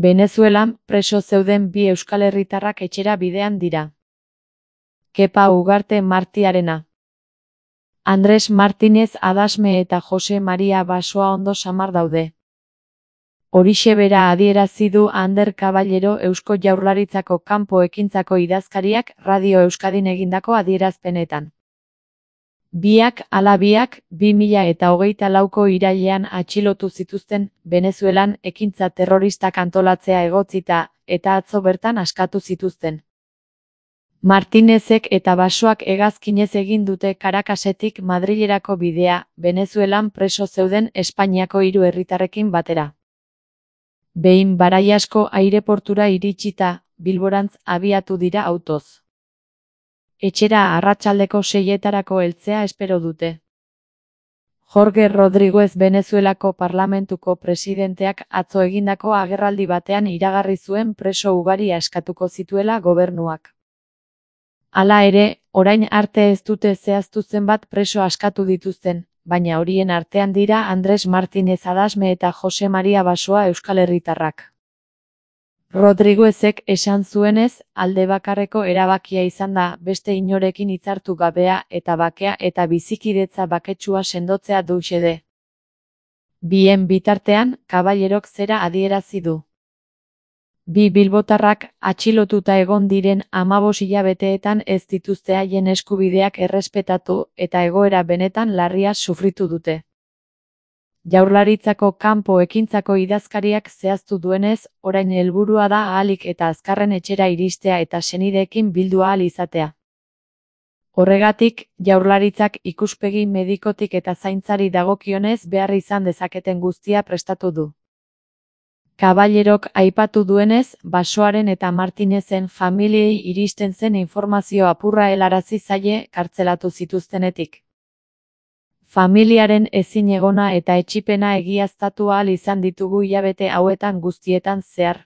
Venezuelan preso zeuden bi euskal herritarrak etxera bidean dira. Kepa Ugarte Martiarena. Andres Martinez Adasme eta Jose Maria Basoa ondo samar daude. Horixe bera adierazi du Ander Caballero Eusko Jaurlaritzako kanpo ekintzako idazkariak Radio Euskadin egindako adierazpenetan. Biak ala biak 2024ko irailean atxilotu zituzten Venezuelan ekintza terroristak antolatzea egotzita eta atzo bertan askatu zituzten. Martinezek eta Basoak hegazkinez egin dute Caracasetik Madrilerako bidea, Venezuelan preso zeuden Espainiako 3 herritarrekin batera. Behin Baraiasko aireportura iritsita, Bilborantz abiatu dira autoz. Etxera arratsaldeko 6etarako heltzea espero dute. Jorge Rodríguez Venezuelako parlamentuko presidenteak atzo egindako agerraldi batean iragarri zuen preso ugari askatuko zituela gobernuak. Hala ere, orain arte ez dute zehaztu zenbat preso askatu dituzten, baina horien artean dira Andres Martinez Adasme eta Jose Maria Basoa euskal herritarrak. Rodriguezek esan zuenez, alde bakarreko erabakia izan da beste inorekin hitzartu gabea eta bakea eta bizikidetza baketsua sendotzea du xede. Bien bitartean, Caballerok zera adierazi du. Bi bilbotarrak atxilotuta egon diren 15 hilabeteetan ez dituzte haien eskubideak errespetatu eta egoera benetan larria sufritu dute. Jaurlaritzako kanpo ekintzako idazkariak zehaztu duenez, orain helburua da ahalik eta azkarren etxera iristea eta senideekin bildu ahal izatea. Horregatik, Jaurlaritzak ikuspegi medikotik eta zaintzari dagokionez behar izan dezaketen guztia prestatu du. Caballerok aipatu duenez, Basoaren eta Martinezen familiei iristen zen informazio apurra helarazi zaie kartzelatu zituztenetik. Familiaren ezinegona eta etsipena egiaztatu ahal izan ditugu hilabete hauetan guztietan zehar.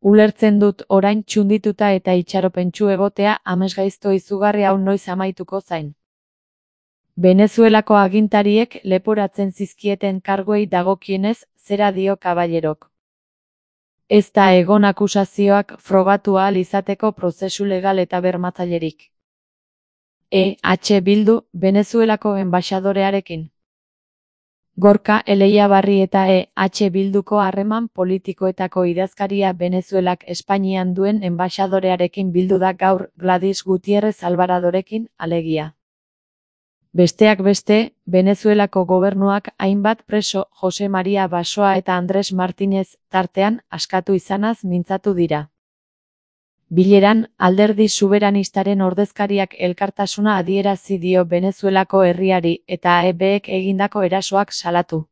Ulertzen dut orain txundituta eta itxaropentsu egotea amesgaizto izugarri hau noiz amaituko zain. Venezuelako agintariek leporatzen zizkieten karguei dagokienez, zera dio Caballerok. Ez da egon akusazioak frogatu ahal izateko prozesu legal eta bermatzailerik. Bildu, Venezuelako enbaxadorearekin. Gorka Eleiabarri eta Bilduko harreman politikoetako idazkaria Venezuelak Espainian duen enbaxadorearekin bildu da gaur Gladys Gutiérrez Alvaradorekin, alegia. Besteak beste, Venezuelako gobernuak hainbat preso Jose Maria Basoa eta Andres Martinez tartean askatu izanaz mintzatu dira. Bileran, alderdi soberanistaren ordezkariak elkartasuna adierazi dio Venezuelako herriari eta AEBek egindako erasoak salatu.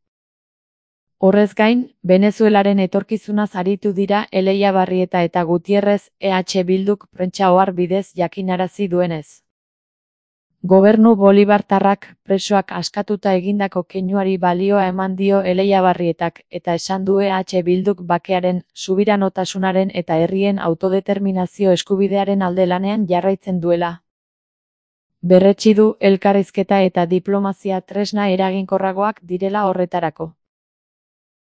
Horrez gain, Venezuelaren etorkizunaz aritu dira Eleiabarri eta Gutiérrez Bilduk prentsa ohar bidez jakinarazi duenez. Gobernu bolibartarrak presoak askatuta egindako keinuari balioa eman dio Eleiabarrietak eta esan du Bilduk bakearen, subiranotasunaren eta herrien autodeterminazio eskubidearen alde lanean jarraitzen duela. Berretsi du elkarrizketa eta diplomazia tresna eraginkorragoak direla horretarako.